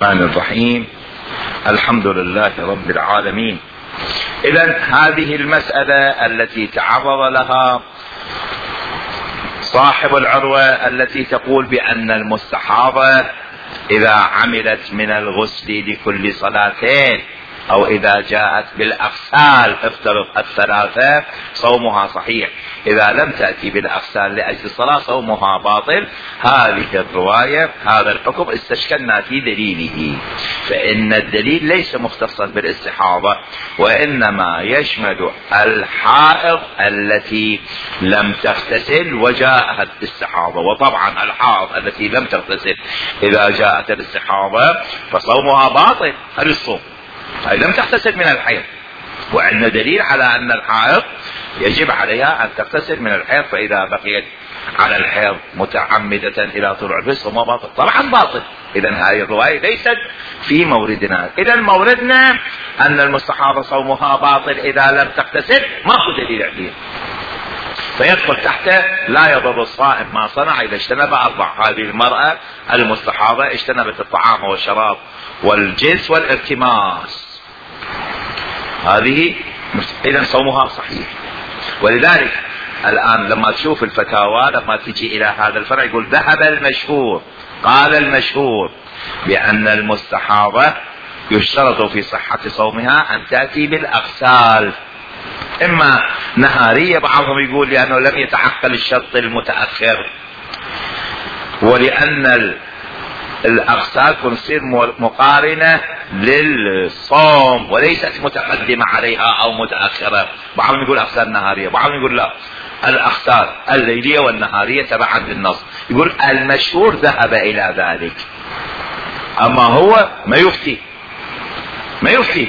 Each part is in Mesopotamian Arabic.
الرحمن الرحيم. الحمد لله رب العالمين. إذن هذه المسألة التي تعرض لها صاحب العروة التي تقول بأن المستحاضة إذا عملت من الغسل لكل صلاتين أو إذا جاءت بالأغسال افترض الثلاثة صومها صحيح، إذا لم تأتي بالأغسال لأجل الصلاة صومها باطل. هذه الرواية هذا الحكم استشكلنا في دليله، فإن الدليل ليس مختصا بالاستحاضة وإنما يشمل الحائض التي لم تغتسل وجاءت الاستحاضة. وطبعا الحائض التي لم تغتسل إذا جاءت الاستحاضة فصومها باطل. هل الصوم هي لم تغتسل من الحيض، وعندنا دليل على أن الحائض يجب عليها أن تغتسل من الحيض، فإذا بقيت على الحيض متعمدة إلى طلوع الفجر صومها باطل، طبعا باطل. إذن هذه الرواية ليست في موردنا. إذن موردنا أن المستحاضة صومها باطل إذا لم تغتسل، ما هو دليل عليه، فيدخل تحته لا يضر الصائم ما صنع إذا اجتنب أربع. هذه المرأة المستحاضة اجتنبت الطعام والشراب والجنس والالتماس، هذه إذن صومها صحيح. ولذلك الآن لما تشوف الفتاوى لما تجي إلى هذا الفرع يقول ذهب المشهور، قال المشهور بأن المستحاضة يشترط في صحة صومها أن تأتي بالأغسال، إما نهارية، بعضهم يقول لأنه لم يتعقل الشرط المتأخر، ولأن الأغسال تصير مقارنة للصوم وليست متقدمة عليها أو متأخرة. بعضهم يقول أغسال نهارية، بعضهم يقول لا، الأغسال الليلية والنهارية تبعا للنص. يقول المشهور ذهب إلى ذلك، أما هو ما يفتي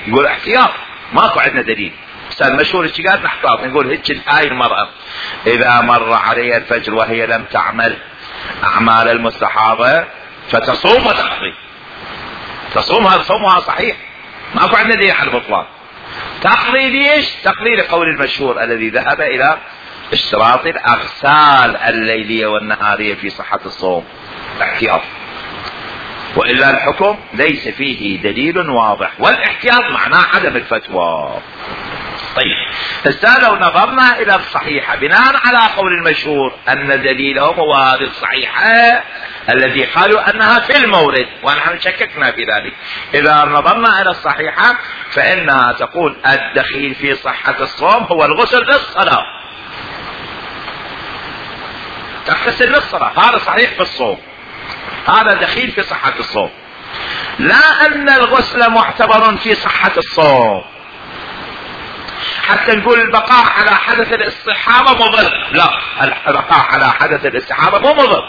يقول احتياط، ماكو عندنا دليل. بس المشهور ايش قال؟ نحتاط نقول هيك هاي المرأة إذا مر عليها الفجر وهي لم تعمل أعمال المستحاضة فتصوم وتقضي، تصوم، هذا صومها صحيح، ماكو عندنا دليل على البطلان. تقضي ليش؟ تقضي لقول المشهور الذي ذهب إلى اشتراط الأغسال الليلية والنهارية في صحة الصوم، احتياط. وإلا الحكم ليس فيه دليل واضح، والاحتياط معناه عدم الفتوى. طيب هسه لو نظرنا إلى الصحيحة بناء على قول المشهور أن دليلهم هو هذه الصحيحة الذي قالوا أنها في المورد، ونحن شككنا في ذلك. إذا نظرنا إلى الصحيحة فإنها تقول الدخيل في صحة الصوم هو الغسل للصلاة، تغتسل للصلاة، هذا صحيح في الصوم، هذا دخيل في صحة الصوم. لا أن الغسل معتبر في صحة الصوم حتى نقول البقاء على حدث الاستحاضة مضر، لا، البقاء على حدث الاستحاضة مو مضر،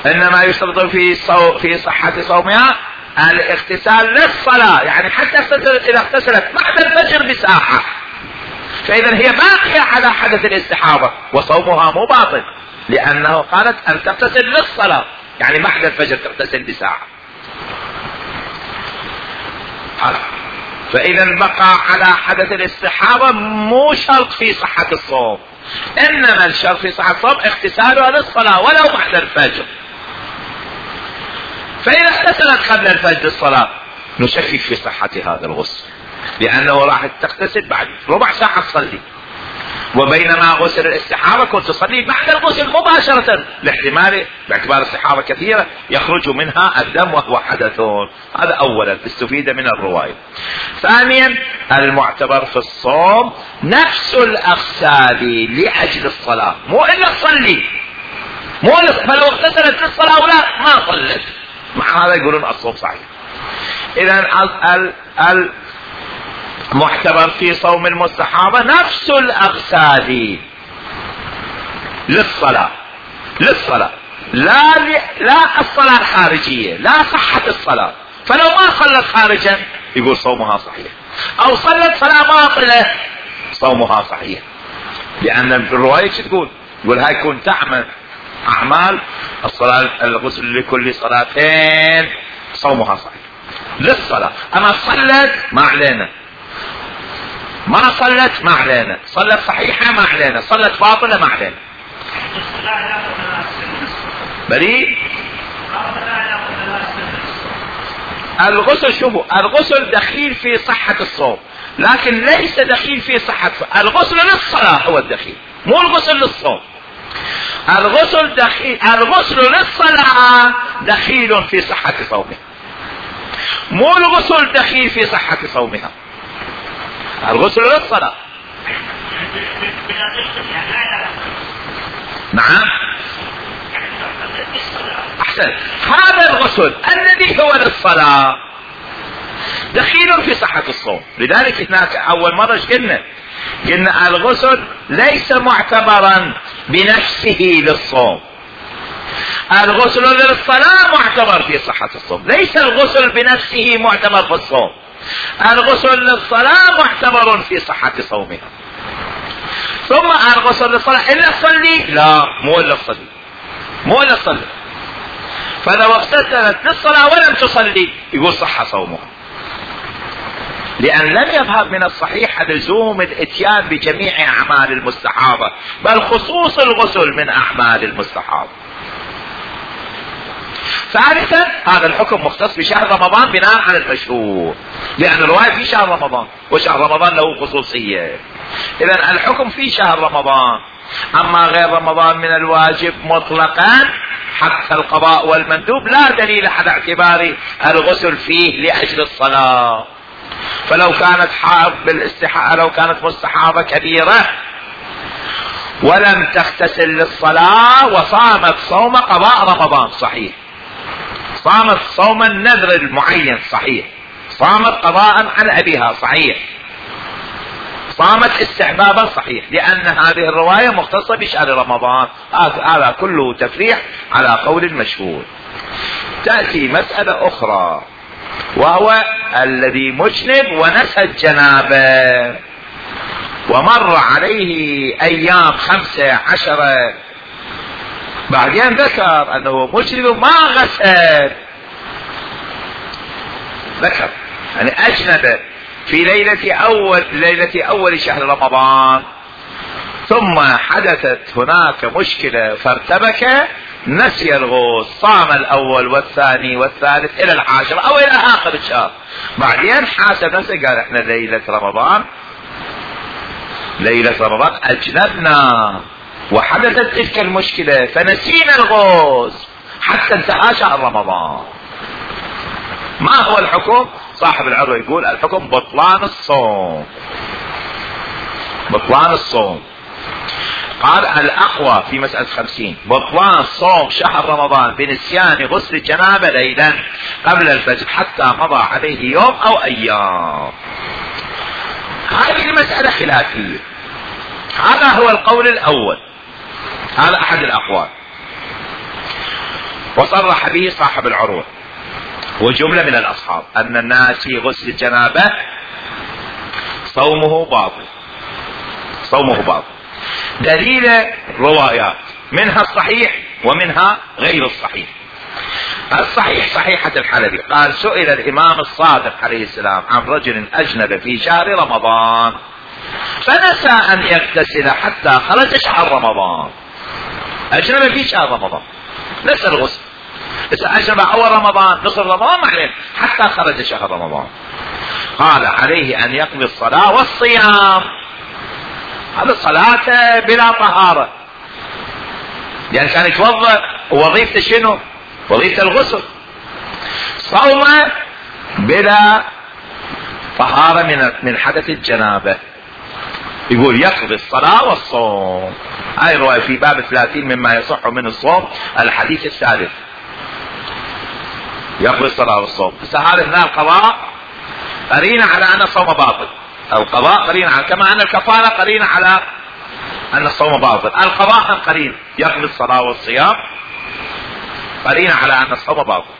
إنما يشترط في صحة صومها الاغتسال للصلاة، يعني حتى إذا اغتسلت بعد الفجر بساعة فإذا هي باقية على حدث الاستحاضة وصومها مو باطل، لأنه قالت أن تغتسل للصلاة، يعني بعد الفجر تغتسل بساعة. فإذا بقى على حدث الاستحاضة مو شرط في صحة الصوم، إنما الشرط في صحة الصوم اغتسالها للصلاة ولو بعد الفجر. فإذا اغتسلت قبل الفجر الصلاة نشكك في صحة هذا الغسل، لأنه راح تغتسل بعد ربع ساعة تصلي، وبينما غسل الاستحاضة كنت تصلي بعد الغسل مباشرة، لاحتمال باعتبار الصحابة كثيرة يخرج منها الدم وهو حدث. هذا أولا استفيد من الرواية. ثانيا المعتبر في الصوم نفس الأغسال لأجل الصلاة، مو إلا تصلي، فلو اغتسلت للصلاة ولا ما صلت، مع هذا يقولون الصوم صحيح. إذن المعتبر في صوم المستحاضة نفس الأغسال للصلاة، لا الصلاة الخارجية، لا صحة الصلاة. فلو ما صلت خارجا يقول صومها صحيح، أو صلت صلاة باطلة صومها صحيح، لأن الرواية تقول هاي كنت تعمل أعمال الصلاة الغسل لكل صلاتين صومها صحيح للصلاة. أما صلت ما علينا، ما صلت ما علينا، صلت صحيحة ما علينا، صلت باطلة ما علينا. بريء الغسل شوفوا الغسل دخيل في صحة الصوم، لكن ليس دخيل في صحة الغسل للصلاة، هو الدخيل مو الغسل للصوم. الغسل دخيل، الغسل للصلاة دخيل في صحة صومها، مو الغسل دخيل في صحة صومها. الغسل للصلاة. نعم احسن. هذا الغسل الذي هو للصلاة دخيل في صحة الصوم. لذلك هناك اول مرة قلنا الغسل ليس معتبرا بنفسه للصوم، الغسل للصلاة معتبر في صحة الصوم، ليس الغسل بنفسه معتبر في الصوم، الغسل للصلاة معتبر في صحة صومها. ثم الغسل للصلاة إلا تصلي، لا مو إلا تصلي، مو إلا تصلي. فلو اغتسلت للصلاة ولم تصلي يقول صح صومها، لأن لم يظهر من الصحيح لزوم الاتيان بجميع أعمال المستحاضة، بل خصوص الغسل من أعمال المستحاضة. ثالثا هذا الحكم مختص بشهر رمضان بناء على المشهور، لأن الرواية في شهر رمضان وشهر رمضان له خصوصية، إذن الحكم في شهر رمضان. أما غير رمضان من الواجب مطلقا حتى القضاء والمندوب لا دليل على اعتبار الغسل فيه لأجل الصلاة. فلو كانت حائض بالاستحاضة، لو كانت مستحاضة كبيرة ولم تغتسل للصلاة وصامت صوم قضاء رمضان صحيح، صامت صوم النذر المعين صحيح، صامت قضاء عن أبيها صحيح، صامت استحبابا صحيح، لأن هذه الرواية مختصة بشهر رمضان. هذا كله تفريح على قول المشهور. تأتي مسألة أخرى وهو الذي مجنب ونسى الجنابة ومر عليه أيام 15 بعدين ذكر أنه مجنب ما غسل، ذكر يعني أجنب في ليلة أول شهر رمضان، ثم حدثت هناك مشكلة فارتبك، نسي الغسل، صام الأول والثاني والثالث إلى 10 أو إلى آخر الشهر، بعدين حاسب نفسه قال احنا ليلة رمضان أجنبنا وحدثت تلك المشكلة فنسينا الغسل حتى انتهى شهر رمضان. ما هو الحكم؟ صاحب العروة يقول الحكم بطلان الصوم، بطلان الصوم. قال الأقوى في مسألة 50 بطلان صوم شهر رمضان بنسيان غسل الجنابة ليلا قبل الفجر حتى مضى عليه يوم أو أيام. هذه المسألة خلافية، هذا هو القول الأول، هذا أحد الأقوال، وصرح به صاحب العروة وجملة من الأصحاب أن الناس في غسل الجنابة صومه باطل، صومه باطل. دليل روايات منها الصحيح ومنها غير الصحيح. الصحيح صحيحة الحلبي قال سئل الإمام الصادق عليه السلام عن رجل أجنب في شهر رمضان فنسى أن يغتسل حتى خرج شهر رمضان، أجنب في شهر رمضان نسى الغسل، أجنب أول رمضان نصف رمضان معلم حتى خرج شهر رمضان. قال عليه أن يقضي الصلاة والصيام، هذا الصلاة بلا طهارة، يعني كان يتوضأ وظيفته شنو؟ وظيفة الغسل. صوم بلا طهارة من حدث الجنابة، يقول يقضي الصلاة والصوم. هاي رواية في باب 30 مما يصح من الصوم الحديث الثالث، يقضي الصلاة والصوم. بس هذا هنا القضاء قرينة على أن الصوم باطل، القضاء قرينة على، كما أن الكفارة قرينة على أن الصوم باطل، القضاء قرينة يقضي الصلاة والصيام قرينة على أن الصوم باطل.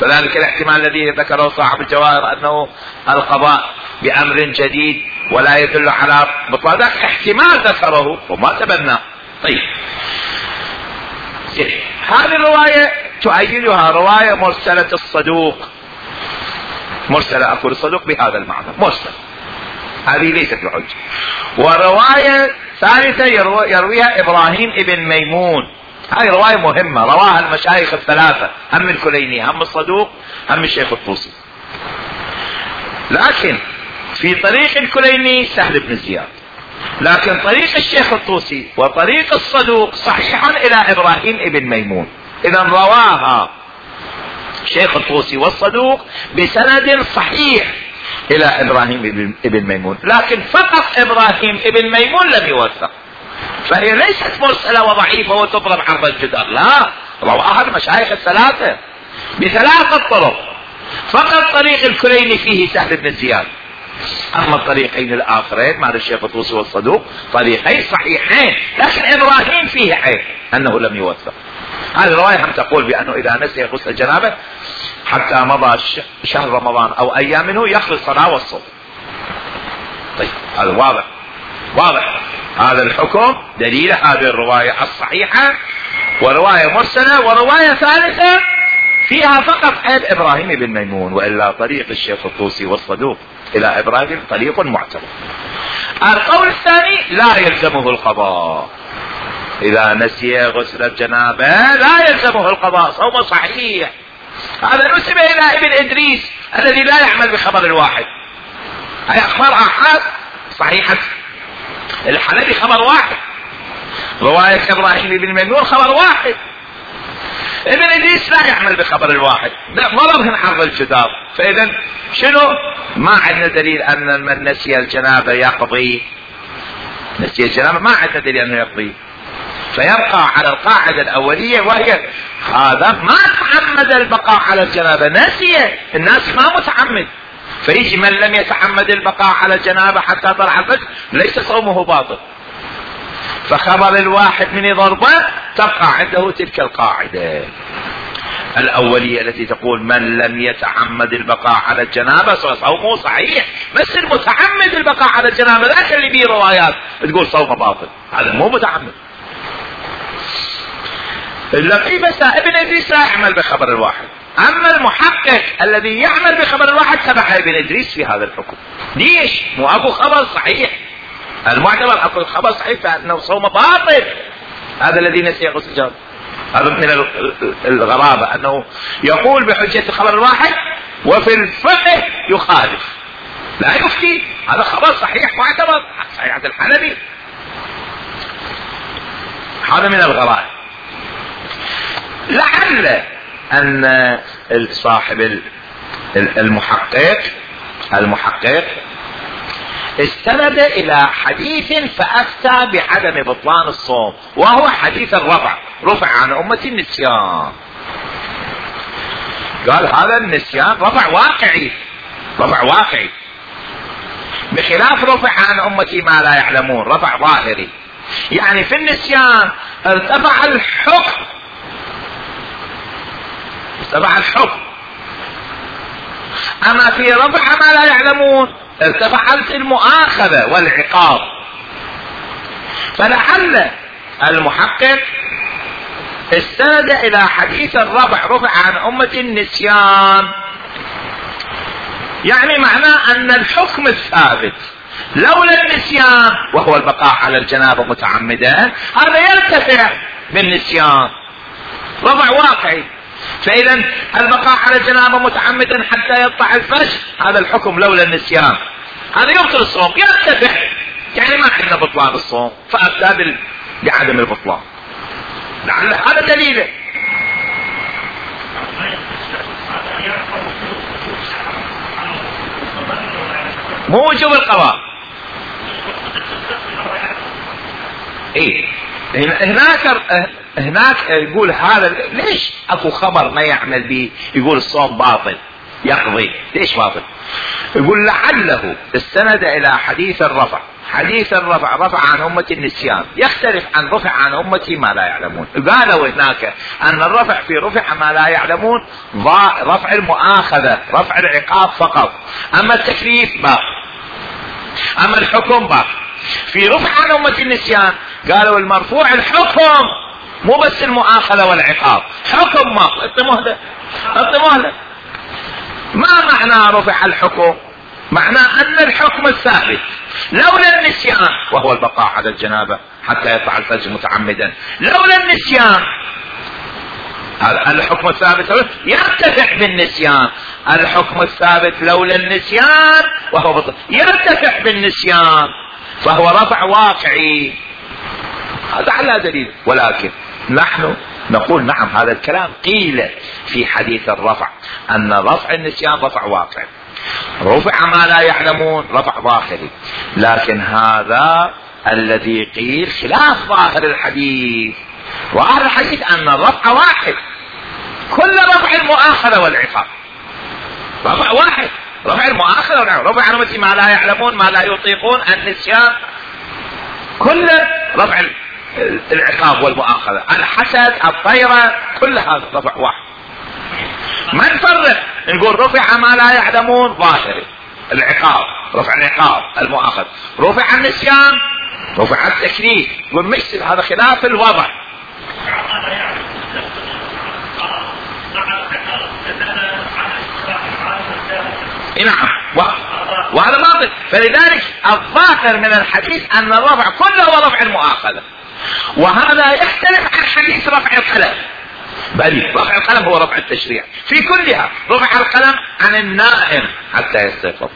فذلك الاحتمال الذي ذكره صاحب الجواهر أنه القضاء بأمر جديد ولا يدل على بطلان، ذاك احتمال ذكره وما تبناه. طيب هذه الرواية تؤيدها رواية مرسلة الصدوق، مرسلة أقول الصدوق بهذا المعنى مرسل، هذه ليست بحجة. ورواية ثالثة يرويها إبراهيم ابن ميمون هاي رواية مهمة رواها المشايخ الثلاثة، هم الكليني هم الصدوق هم الشيخ الطوسي. لكن في طريق الكليني سهل بن زياد، لكن طريق الشيخ الطوسي وطريق الصدوق صحيح الى ابراهيم ابن ميمون. اذا رواها الشيخ الطوسي والصدوق بسند صحيح الى ابراهيم ابن ميمون، لكن فقط ابراهيم ابن ميمون لم يوثق، فهي ليست مرسلة وضعيفة وتضرب عرض الجدار، لا، رواها المشايخ الثلاثة بثلاثة طرق. فقط طريق الكليني فيه سهل بن زياد، اما الطريقين الاخرين مع الشيخ الطوسي والصدوق طريقين صحيحين، لكن ابراهيم فيه عيب انه لم يوثق. هذه الرواية هم تقول بانه اذا نسي غسل الجنابة حتى مضى شهر رمضان او ايام منه يخلص الصلاة والصوم. طيب هذا واضح هذا الحكم دليل هذه الرواية الصحيحة، ورواية مرسلة، ورواية ثالثة فيها فقط عيب ابراهيم بن ميمون، والا طريق الشيخ الطوسي والصدوق الى ابراهيم طريق معتبر. القول الثاني لا يلزمه القضاء، اذا نسي غسل الجنابة لا يلزمه القضاء، صوم صحيح. هذا نسب الى ابن ادريس الذي لا يعمل بخبر الواحد. هي اخبار احاد صحيحة الحلبي خبر واحد، رواية ابراهيم بن ميمون خبر واحد، ابن ادريس لا يعمل بخبر الواحد، ضربهن عرض الجدار. فاذا شنو؟ ما عندنا دليل ان من نسي الجنابة يقضي، نسي الجنابة ما عندنا دليل انه يقضي، فيبقى على القاعدة الاولية وهي هذا ما تعمد البقاء على الجنابة، نسي، الناس ما متعمد، فيجي من لم يتعمد البقاء على الجنابة حتى طلع الفجر ليس صومه باطل. فخبر الواحد من ضربة تبقى عنده تلك القاعدة الأولية التي تقول من لم يتعمد البقاء على الجنابة صومه صحيح، بس المتعمد البقاء على الجنابة ذاك اللي بيه روايات تقول صومه باطل، هذا مو متعمد. الذي بس ابن ادريس لا يعمل بخبر الواحد، اما المحقق الذي يعمل بخبر الواحد تبع ابن ادريس في هذا الحكم. ليش؟ مو اكو خبر صحيح، المعتبر اكو خبر صحيح فانه صوم باطل. هذا الذي نسي غسل الجنابة، هذا من الغرابة انه يقول بحجة الخبر الواحد وفي الفقه يخالف، لا يفتي، هذا خبر صحيح معتبر صحيح عند الحلبي. هذا من الغرائب. لعل ان صاحب المحقق استند الى حديث فافتى بعدم بطلان الصوم، وهو حديث الرفع، رفع عن امتي النسيان. قال هذا النسيان رفع واقعي بخلاف رفع عن امتي ما لا يعلمون، رفع ظاهري، يعني في النسيان ارتفع الحكم، اما في رفع ما لا يعلمون ارتفعت المؤاخذة والعقاب. فلعل المحقق استند الى حديث الرفع، رفع عن امة النسيان، يعني معناه ان الحكم الثابت لولا النسيان وهو البقاء على الجنابة متعمدا هذا يرتفع بالنسيان، رفع واقعي. فاذا البقاء على الجنابة متعمدا حتى يطلع الفجر هذا الحكم لولا النسيان، هذا يبطل الصوم، يرتفع، يعني ما عندنا بطلان الصوم، فافتى بعدم البطلان. لعل هذا دليله. مو وجوب القضاء. ايه هناك يقول هذا ليش اكو خبر ما يعمل به يقول الصوم باطل يقضي، ليش باطل؟ يقول لعله استند الى حديث الرفع، حديث الرفع رفع عن امة النسيان يختلف عن رفع عن امتي ما لا يعلمون. قالوا هناك ان الرفع في رفع ما لا يعلمون رفع المؤاخذة، رفع العقاب فقط، اما التكليف باقي، اما الحكم باقي. في رفع عن امة النسيان قالوا المرفوع الحكم مو بس المؤاخذة والعقاب، حكم ما انت مهلة. ما معنى رفع الحكم؟ معناه أن الحكم الثابت لولا النسيان، وهو البقاء على الجنابة حتى يطلع الفجر متعمدا، لولا النسيان الحكم الثابت يرتفع بالنسيان، الحكم الثابت لولا النسيان وهو يرتفع بالنسيان، فهو رفع واقعي. هذا على دليل. ولكن نحن نقول نعم، هذا الكلام قيل في حديث الرفع، أن رفع النسيان رفع واقعي، رفع ما لا يعلمون رفع ظاهري، لكن هذا الذي قيل خلاف ظاهر الحديث. ظاهر الحديث أن الرفع واحد، كل رفع المؤاخذة والعقاب رفع واحد، رفع المؤاخذة والعقاب، رفع مثل ما لا يعلمون ما لا يطيقون النسيان، كل رفع العقاب والمؤاخذة، الحسد الطيرة، كل هذا رفع واحد. ما نفرق نقول رفع ما لا يعلمون ظاهري العقاب، رفع العقاب المؤاخذة، رفع النسيان رفع التكليف، والمثل هذا خلاف الوضع. نعم، وهذا باطل. فلذلك الظاهر من الحديث أن الرفع كله هو رفع المؤاخذة، وهذا يختلف عن حديث رفع القلم، بل رفع القلم هو رفع التشريع في كلها. رفع القلم عن النائم حتى يستيقظ،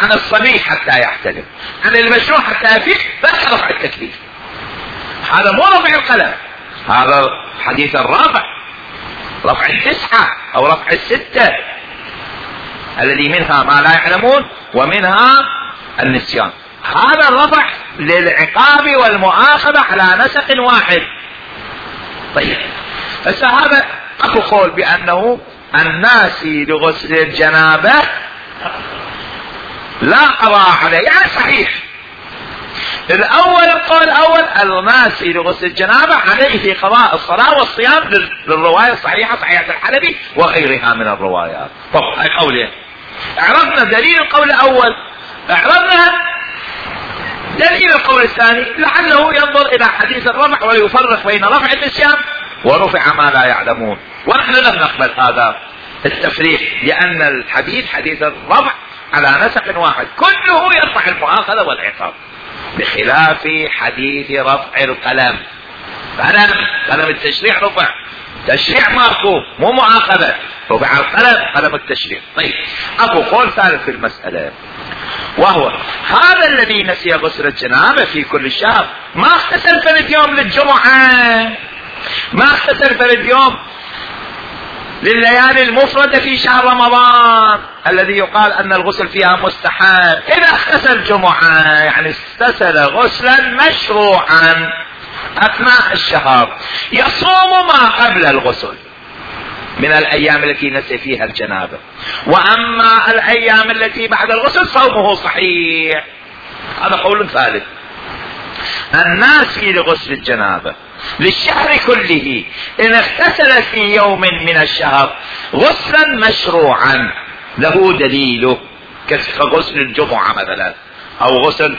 عن الصبي حتى يحتلم، عن المجنون حتى يفيق، بس رفع التكليف. هذا مو رفع القلم، هذا حديث الرافع، رفع 9 أو رفع 6 الذي منها ما لا يعلمون ومنها النسيان. هذا الرفع للعقاب والمؤاخذة على نسق واحد. طيب، هذا اكو قول بانه الناسي لغسل الجنابة لا قضاء عليه، يعني صحيح. القول الاول الناسي لغسل الجنابة عليه قضاء الصلاة والصيام للرواية الصحيحة صحيحة الحلبي وغيرها من الروايات. طب هاي قولين، عرفنا دليل القول الاول، عرفنا دليل القول الثاني، لعله ينظر الى حديث الرفع ويفرق بين رفع النسيان ورفع ما لا يعلمون. ونحن لم نقبل هذا التفريق، لان الحديث حديث الرفع على نسق واحد كله يرفع المؤاخذة والعقاب، بخلاف حديث رفع القلم. قلم التشريع رفع، تشريع ماكو مو مؤاخذة، رفع القلم قلم التشريع. طيب، اكو قول ثالث في المسألة، وهو هذا الذي نسي غسل الجنابة في كل شهر ما اغتسل فرد يوم للجمعة، ما اغتسل فرد يوم لليالي المفردة في شهر رمضان الذي يقال ان الغسل فيها مستحب. اذا اغتسل جمعة يعني اغتسل غسلا مشروعا اثناء الشهر، يصوم ما قبل الغسل من الايام التي نسي فيها الجنابة، واما الايام التي بعد الغسل صومه صحيح. هذا قول ثالث. الناسي لغسل الجنابة للشهر كله ان اغتسل في يوم من الشهر غسلا مشروعا له دليله، كغسل الجمعة مثلا، او غسل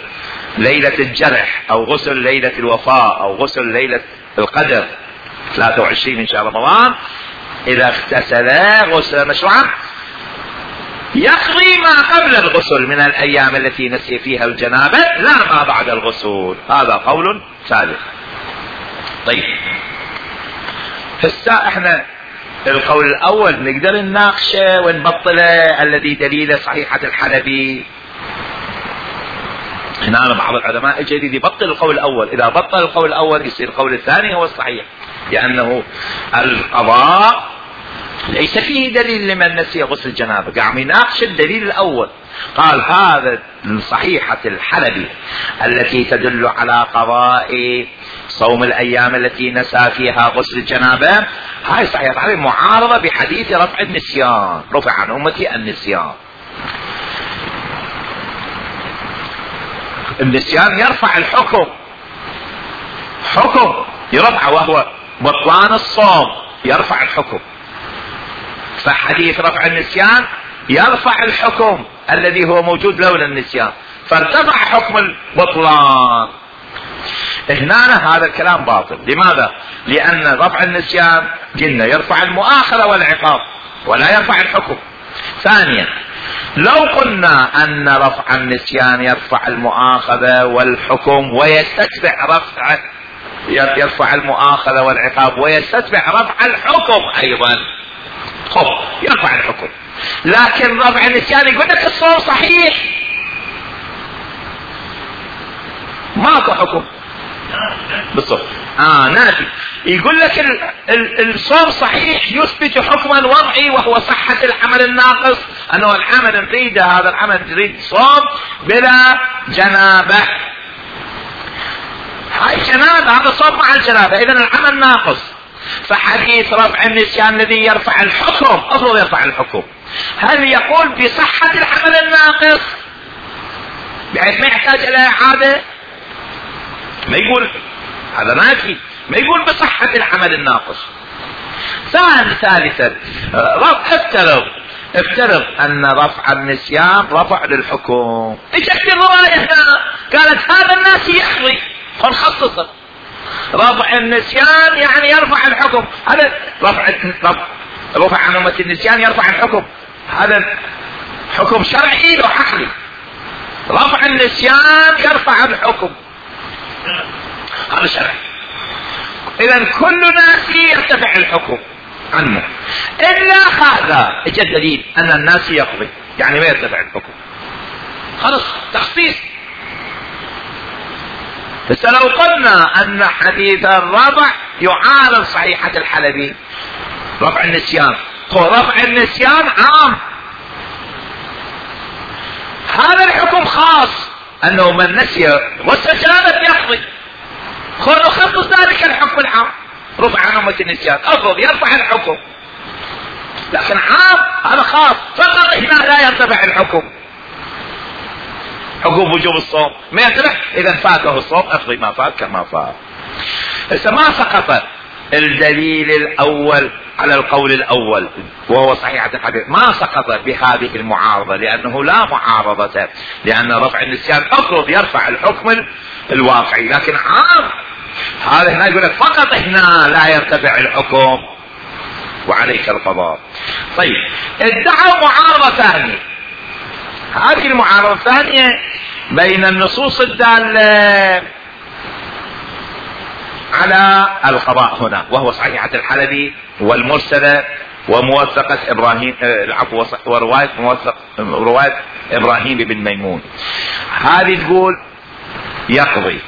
ليلة الجرح، او غسل ليلة الوفاة، او غسل ليلة القدر 23 من شهر رمضان. اذا اغتسل غسلا مشروعا يقضي ما قبل الغسل من الايام التي نسي فيها الجنابة لا ما بعد الغسل. هذا قول ثالث. طيب، هسه احنا القول الاول نقدر نناقشه ونبطله الذي دليل صحيحة الحلبي. هنا بعض العلماء الجديد يبطل القول الاول، اذا بطل القول الاول يصير القول الثاني هو الصحيح، لانه القضاء ليس فيه دليل لمن نسي غسل الجنابة. قام يناقش الدليل الاول، قال هذا صحيحة الحلبي التي تدل على قضاء صوم الايام التي نسى فيها غسل الجنابة، هاي صحيحة الحلبي معارضة بحديث رفع النسيان، رفع عن امتي النسيان. النسيان يرفع الحكم، حكم يرفع وهو بطلان الصوم يرفع الحكم، فحديث رفع النسيان يرفع الحكم الذي هو موجود لولا النسيان، فارتفع حكم البطلان. هنا هذا الكلام باطل. لماذا؟ لأن رفع النسيان قلنا يرفع المؤاخذة والعقاب ولا يرفع الحكم. ثانيا لو قلنا ان رفع النسيان يرفع المؤاخذة والحكم ويستتبع يرفع المؤاخذة والعقاب ويستتبع رفع الحكم ايضا، يرفع الحكم، لكن رفع النسيان يقول لك الصوم صحيح ماكو حكم بالصوم، نافي، يقول لك الصوم صحيح يثبت حكما وضعي وهو صحة العمل الناقص، انه العمل نريده، هذا العمل نريد صوم بلا جنابة، هاي جنابة، هذا صوم مع الجنابة، اذا العمل ناقص. فحديث رفع النسيان الذي يرفع الحكم، افرض يرفع الحكم، هل يقول بصحة العمل الناقص بحيث ما يحتاج الى اعادة؟ ما يقول، هذا نافي، ما يقول بصحة العمل الناقص. ثالثا افترض ان رفع النسيان رفع للحكم، اجت الرواية هنا قالت هذا الناس يحظي، فنخصصه رفع النسيان يعني يرفع الحكم، هذا رفع عنومة النسيان يرفع الحكم، هذا حكم شرعي وعقلي، رفع النسيان يرفع الحكم، هذا شرعي، اذا كل ناس يرتفع الحكم عنه الا هذا، اجى الدليل ان الناس يقضي يعني ما يرتفع الحكم، خلاص تخصيص. بس لو قلنا ان حديث الرفع يعارض صحيحة الحلبي رفع النسيان، رفع النسيان عام، هذا الحكم خاص، انه من نسي والسجانة يقضي، نخصص ذلك الحكم العام، رفع عنومة النسيان افرض يرفع الحكم، لكن عام هذا خاص، فقط هنا لا يرتفع الحكم، حكم وجوب الصوم ما يرتفع، اذا فاته الصوم اقضي ما فات كما فات. هسه ما سقط الدليل الاول على القول الاول وهو صحيحة الحديث، ما سقط بهذه المعارضة، لانه لا معارضة، لان رفع النسيان افرض يرفع الحكم الواقعي، لكن عام هذا هنا يقول لك فقط هنا لا يرتفع الحكم وعليك القضاء. طيب ادعوا معارضة ثانية، هذه المعارضة الثانية بين النصوص الدالة على القضاء هنا، وهو صحيحة الحلبي والمرسلة وموثقة ابراهيم ورواية ابراهيم بن ميمون، هذه تقول يقضي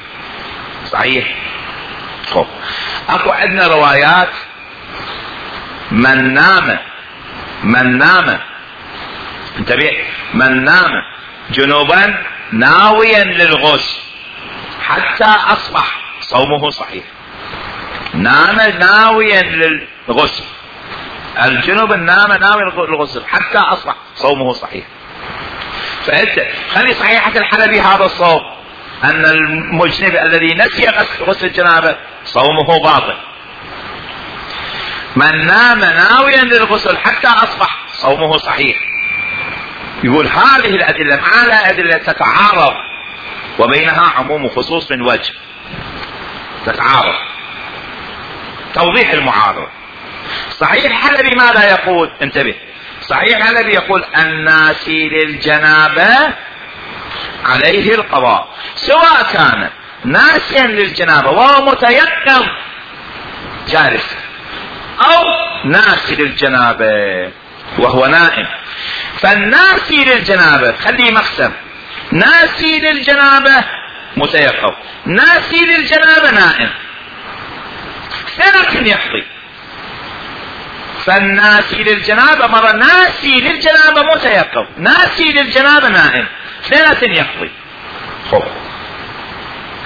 صحيح. اكو عندنا روايات من نام انتبه، من نام جنوبا ناويا للغسل حتى اصبح صومه صحيح، نام ناويا للغسل، الجنوب نام ناوي للغسل حتى اصبح صومه صحيح. فانت خلي صحيحة الحلبي هذا الصوم، ان المجنب الذي نسي غسل الجنابة صومه باطل، من نام ناويا للغسل حتى اصبح صومه صحيح. يقول هذه الادلة مع الادلة تتعارض وبينها عموم وخصوص من وجه، تتعارض، توضيح المعارضة. صحيح الحلبي ماذا يقول؟ انتبه، صحيح الحلبي يقول الناسي للجنابة عليه القضاء، سواء كان ناسيا للجنابة وهو متيقظ جالس، او ناسي للجنابة وهو نائم. فالناسي للجنابة خليه مقسم، ناسي للجنابة متيقظ، ناسي للجنابة نائم، ثلاث يقضي. فالناسي للجنابة مرة ناسي للجنابة متيقظ، ناسي للجنابة نائم، ثلاث يقضي.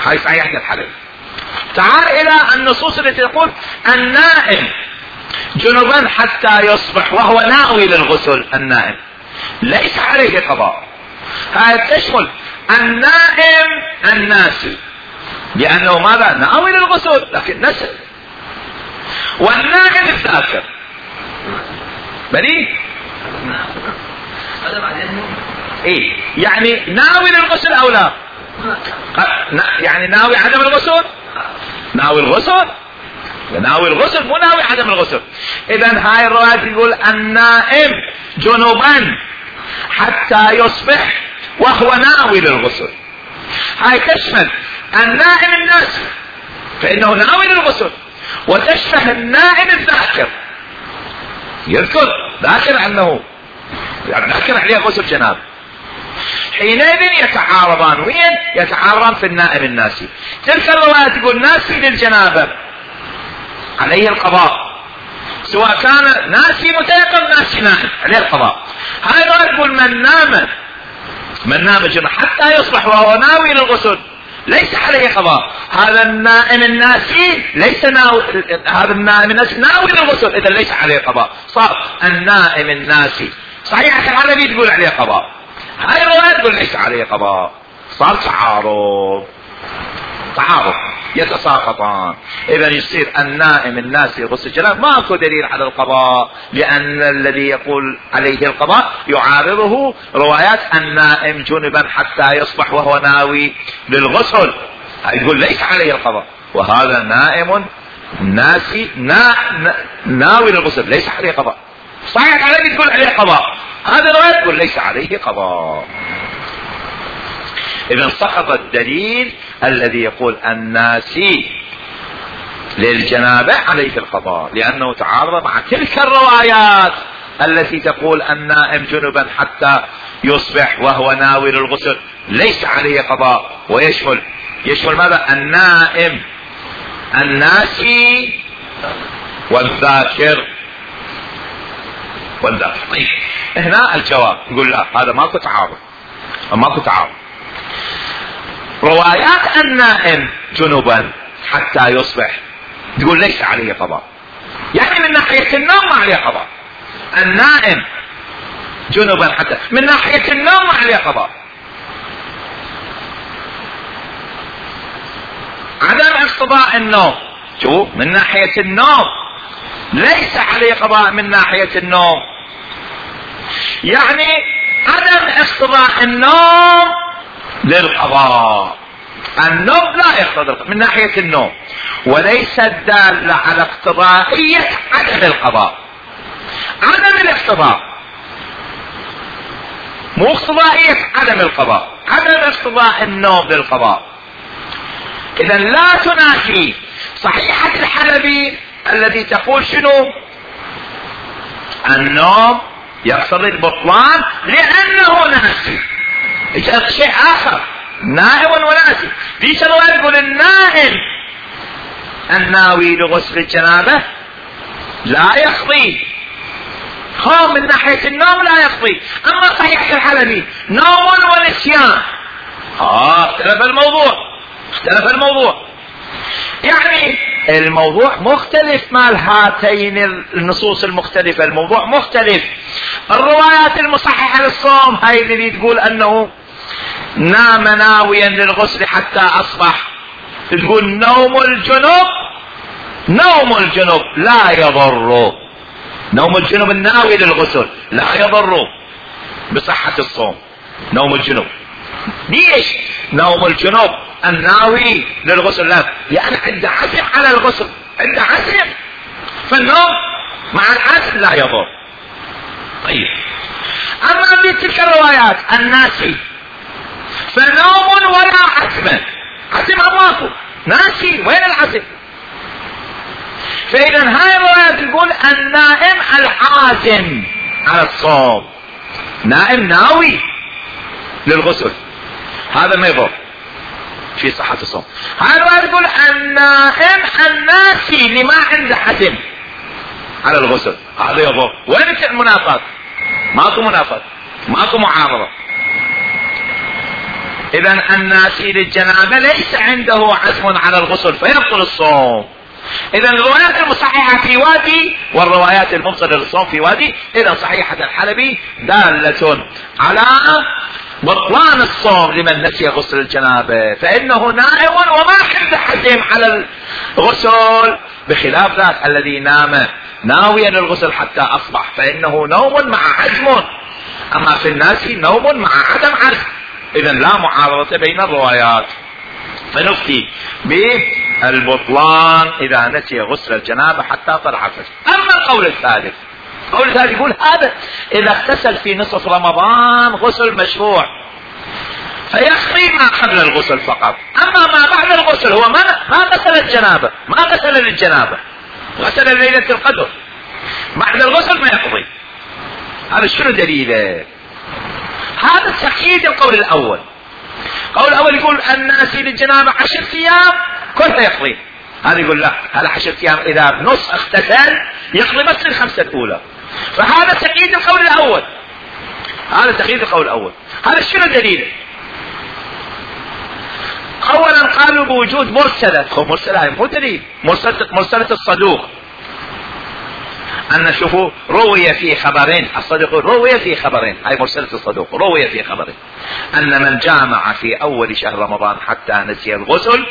هاي صحيحة الحديث. تعال الى النصوص التي تقول النائم جنبا حتى يصبح وهو ناوي للغسل، النائم ليس عليه قضاء، هاي تشمل النائم الناسي، لانه ماذا؟ ناوي للغسل لكن نسي، والنائم الذاكر بلي ايه يعني ناوي للغسل او لا؟ يعني ناوي عدم الغسل، ناوي الغسل، ناوي الغسل مو ناوي عدم الغسل. اذا هاي الرواية يقول النائم جنوبا حتى يصبح وهو ناوي للغسل. هاي تشمل النائم الناسي فإنه ناوي للغسل، وتشمل النائم الذاكر ذاكر أنه ذاكر عليه غسل جنابه. حينئذ يتعارضان. وين يتعارضان؟ في النائم الناسي. تلك الرواية تقول ناسي للجنابة عليه القضاء، سواء كان ناسي متيقن ناسي نائم عليه القضاء. هاي الرواية تقول من نام جنبا حتى يصبح وهو ناوي للغسل ليس عليه قضاء. هذا النائم الناسي ليس هذا النائم الناسي ناوي للغسل، اذا ليس عليه قضاء. صار النائم الناسي صحيحة العربي تقول عليه قضاء، هاي الرواية تقول ليس عليه قضاء. صار تعارض يتساقطان. اذا يصير النائم الناسي غسل الجنابة ماكو دليل على القضاء، لان الذي يقول عليه القضاء يعارضه روايات النائم جنبا حتى يصبح وهو ناوي للغسل، يقول ليس عليه القضاء. وهذا نائم ناسي ناوي للغسل ليس عليه قضاء. صحيح العربي تقول عليه قضاء، هذا الرواية تقول ليس عليه قضاء. إذا سقط الدليل الذي يقول الناسي للجنابة عليه القضاء، لأنه تعارض مع تلك الروايات التي تقول النائم جنبا حتى يصبح وهو ناوي للغسل ليس عليه قضاء. ويشمل ماذا؟ النائم الناسي والذاكر. طيب هنا الجواب يقول لا، هذا ماكو تعارض. روايات النائم جنبا حتى يصبح تقول ليس عليه قضاء، يعني من ناحية النوم ما عليه قضاء. النائم جنبا حتى من ناحية النوم ما عليه قضاء. عدم اقتضاء النوم شوف من ناحية النوم ليس عليه قضاء. من ناحية النوم يعني عدم اقتضاء النوم للقضاء. النوم لا يقتضي من ناحية النوم، وليس الدالة على اقتضائية عدم القضاء. عدم الاقتضاء مو اقتضائية عدم القضاء، عدم اقتضاء النوم للقضاء. إذا لا تنافي صحيحة الحلبي الذي تقول شنو؟ النوم يقتضي البطلان لأنه ناسي. شيء آخر نائم وناسي. في شرط يقول النائم الناوي لغسل الجنابة لا يقضي. من ناحية النوم لا يقضي. أما صحيح الحلبي نوم ونسيان اختلف الموضوع. يعني الموضوع مختلف مال هاتين النصوص المختلفة. الموضوع مختلف. الروايات المصححة للصوم هاي اللي تقول أنه نام ناويا للغسل حتى أصبح، تقول نوم الجنوب لا يضر. نوم الجنوب الناوي للغسل لا يضر بصحة الصوم. نوم الجنوب ليش؟ نوم الجنوب الناوي للغسل لا، يعني عنده عزم على الغسل، عنده عزم، فالنوم مع العزم لا يضر. طيب أما في تلك الروايات الناسي فنوم ولا عزم ماكو، ناسي وين العزم؟ فإذا هاي الرواية تقول النائم العازم على الصوم، نائم ناوي للغسل، هذا ما يضر في صحة الصوم. هاي الرواية تقول النائم الناسي اللي ما عنده عزم على الغسل هذا يضر. وين المنافاة؟ ماكو معارضة. إذا الناسي للجنابة ليس عنده عزم على الغسل فيبطل الصوم. إذا الروايات المصححة في وادي والروايات المبطلة للصوم في وادي. إذا صحيحة الحلبي دالة على بطلان الصوم لمن نسي غسل الجنابة، فإنه نائم وما عنده عزم على الغسل، بخلاف ذاك الذي نام ناويا للغسل حتى أصبح فإنه نوم مع عزم. أما في الناس نوم مع عدم عزم. إذا لا معارضة بين الروايات، فنفتي بالبطلان إذا نسي غسل الجنابة حتى طلع الفجر. أما القول الثالث قول ثالث يقول هذا اذا اغتسل في نصف رمضان غسل مشروع فيكفي ما قبل الغسل فقط، اما ما بعد الغسل هو ما غسل الجنابة، ما غسل للجنابة، غسل ليلة القدر، بعد الغسل ما يقضي. هذا شنو دليله؟ هذا تأكيد القول الاول. القول الاول يقول الناس للجنابة 10 ايام كلها يقضي، هذا يقول لا، هذا 10 ايام اذا بنص اغتسل يقضي بس الخمسة الاولى. فهذا تأكيد القول الاول، هذا تأكيد القول الاول. هذا شنو دليله؟ اولا قالوا بوجود مرسلة، مرسلة مو دليل، مرسلة الصدوق، ان شوفوا روي في خبرين، الصدوق روي في خبرين، هاي مرسلة الصدوق روي في خبرين، ان من جامع في اول شهر رمضان حتى نسي الغسل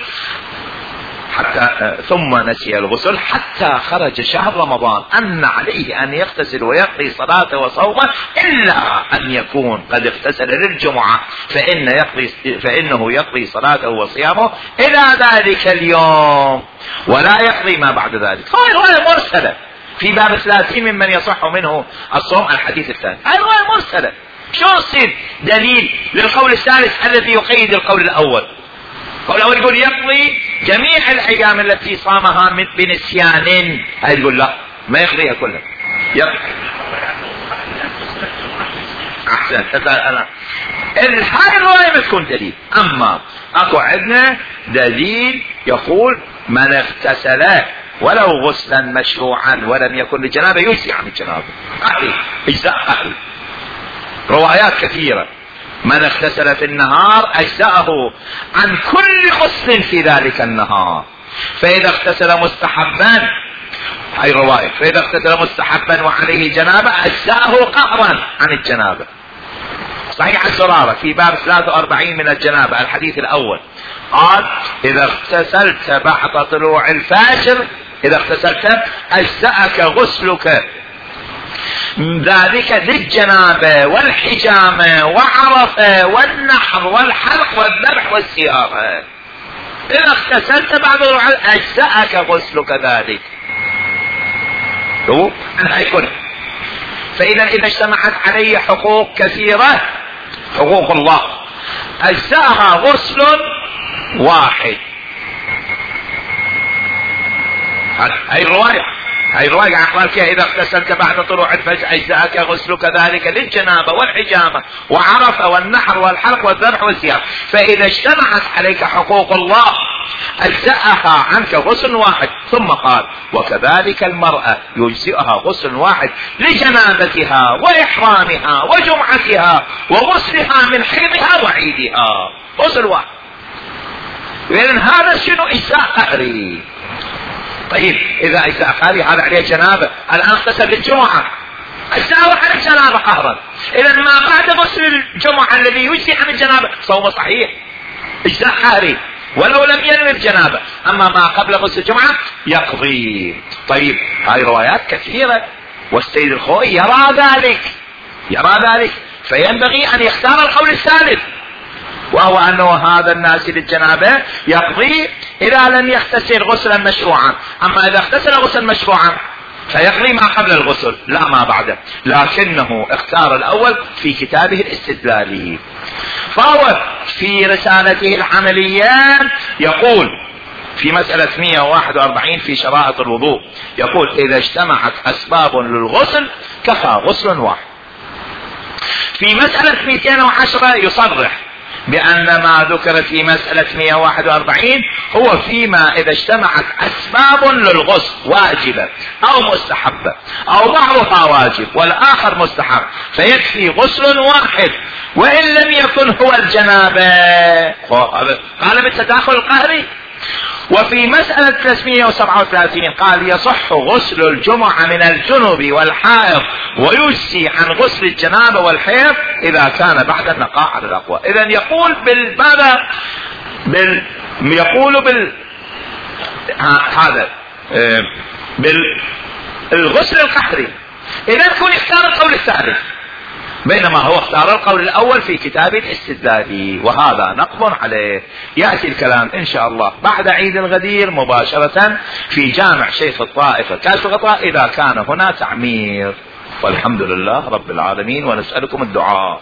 ثم نسي الغسل حتى خرج شهر رمضان ان عليه ان يغتسل ويقضي صلاته وصومه، الا ان يكون قد اغتسل للجمعة فانه يقضي صلاته وصيامه الى ذلك اليوم ولا يقضي ما بعد ذلك. هاي رواية مرسلة في باب 30 ممن يصح منه الصوم الحديث الثاني، هاي رواية مرسلة. شو يصير دليل للقول الثالث الذي يقيد القول الاول؟ القول الاول يقول يقضي جميع الايام التي صامها بنسيان، هاي يقول لا ما يقضيها كلها، احسن انا هاي الرواية بتكون دليل. اما اكو عندنا دليل يقول من اغتسل ولو غسلا مشروعا ولم يكن للجنابة يجزي عن الجنابة، اجزاء اهلي، روايات كثيرة. من اغتسل في النهار اجزاءه عن كل غسل في ذلك النهار، فاذا اغتسل مستحبا، هاي رواية، فاذا اغتسل مستحبا وعليه جنابة اجزاءه قهرا عن الجنابة. صحيح الزرارة في باب 43 من الجنابة الحديث الاول قال اذا اغتسلت بعد طلوع الفجر، اذا اغتسلت اجزأك غسلك ذلك للجنابة والحجامة وعرفة والنحر والحلق والذبح والسيارة. اذا اغتسلت بعد طلوع اجزأك غسلك ذلك. فاذا اجتمعت عليه حقوق كثيرة، حقوق الله، اجزاها غسل واحد. هاي الرواية قال فيها اذا اغتسلت بعد طلوع الفجر اجزاك غسلك ذلك للجنابة والحجامة وعرفة والنحر والحلق والذبح والسياق. فاذا اجتمعت عليك حقوق الله اجزاها عنك غسل واحد. ثم قال وكذلك المرأة يجزئها غسل واحد لجنابتها واحرامها وجمعتها وغسلها من حيضها وعيدها، غسل واحد. لان هذا شنو اجزاء قهري. طيب اذا اجزاء قهري هذا عليه جنابة، الان اغتسل للجمعة اجزاء واحد الجنابة قهرا، اذا ما بعد غسل الجمعة الذي يجزي عن الجنابة صوم صحيح اجزاء قهري ولو لم ينوي الجنابة، اما ما قبل غسل الجمعة يقضي. طيب هاي روايات كثيرة، والسيد الخوئي يرى ذلك فينبغي ان يختار القول الثالث، وهو انه هذا الناس للجنابة يقضي اذا لم يغتسل غسلا مشروعا، اما اذا اغتسل غسلا مشروعا فيقضي ما قبل الغسل لا ما بعده، لكنه اختار الاول في كتابه الاستدلالي. فهو في رسالته العملية يقول في مسألة 141 في شرائط الوضوء، يقول اذا اجتمعت اسباب للغسل كفى غسل واحد. في مسألة 210 يصرح بأن ما ذكر في مسألة 141 هو فيما إذا اجتمعت أسباب للغسل واجبة أو مستحبة أو بعضها واجب والآخر مستحب فيكفي غسل واحد وإن لم يكن هو الجنابة. قال بالتداخل القهري. وفي مسألة 337 قال يصح غسل الجمعة من الجنوب والحائض ويجزي عن غسل الجنابة والحيض إذا كان بعد النقاء على الأقوى. إذن يقول بالغسل القهري، إذن يكون يختار القول الثالث، بينما هو اختار القول الاول في كتاب الاستدلالي، وهذا نقض عليه. يأتي الكلام ان شاء الله بعد عيد الغدير مباشرة في جامع شيخ الطائفة كاشف الغطاء اذا كان هنا تعمير. والحمد لله رب العالمين، ونسألكم الدعاء.